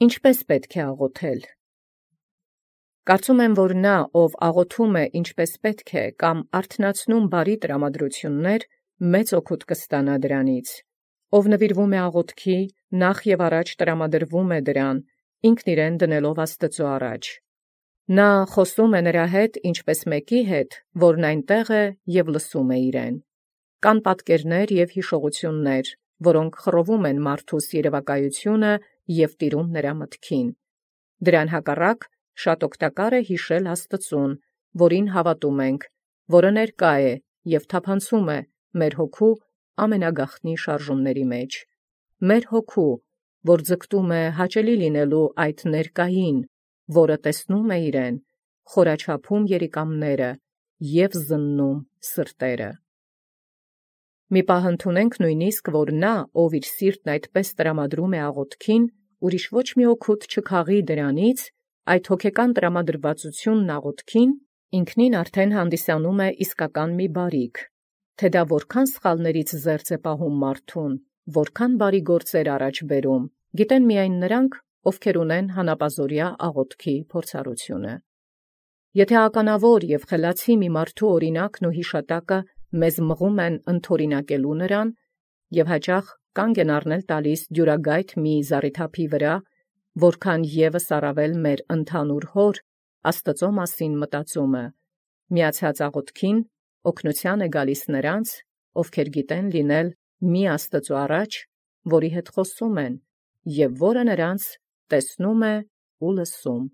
Ինչպէս պետք է աղոթել։ Կարծում եմ, որ նա, ով աղոթում է ինչպես պետք է, կամ արթնացնում բարի տրամադրություններ, մեծ օգուտ կստանա դրանից. ով նվիրվում է աղոթքի, նախ և առաջ տրամադրվում է դրան, ինքն իրեն դնելով Աստուծոյ առաջ։ Նա խոսում է նրա հետ, ինչպես մեկի հետ, որն այնտեղ է և լսում է իրեն։ Կան պատկերներ և հիշողություններ, որոնք խռովում են մարդուս երևակայությունը և տիրում նրա մտքին։ Դրան հակառակ շատ օգտակար է յիշել Աստծուն, որին հավատում ենք, որը ներկա է և թափանցում է մեր հոգու ամենագաղտնի շարժումների մեջ։ Մեր հոգու, որ ձգտում է հաճելի լինելու այդ ներկային, որը տեսնում է իրեն, խորաչափում երիկամները և զննում սրտերը։ Մի պահ ընդունենք նույնիսկ, որ նա, ով իր սիրտն այդպես տրամադրում է աղոթքին, ուրիշ ոչ մի օգուտ չքաղի դրանից, այդ հոգեկան տրամադրվածությունն աղոթքին ինքնին արդեն հանդիսանում է իսկական մի բարիք, թե դա որքան սխալներից զերծ է պահում մարդուն, որքան բարի գործեր առաջ բերում, գիտեն միայն նրանք, ովքեր ունեն հանապազորյա աղոթքի փորձառությունը։ Եթե ականավոր և խելացի մի մարդու օրինակն ու հիշատակը մեզ մղում են ընթորինակելու նրան, և հաճախ կանգ են առնել տալիս դյուրագայթ մի զառիթափի վրա, որքան ևս առավել մեր ընդհանուր Հոր Աստծո մասին մտածումը, միացած աղոթքին օգնութիւն է գալիս նրանց, ովքեր գիտեն լինել մի Աստծո առաջ, որի հետ խոսում են, և որը նրանց տեսնում է ու լսում։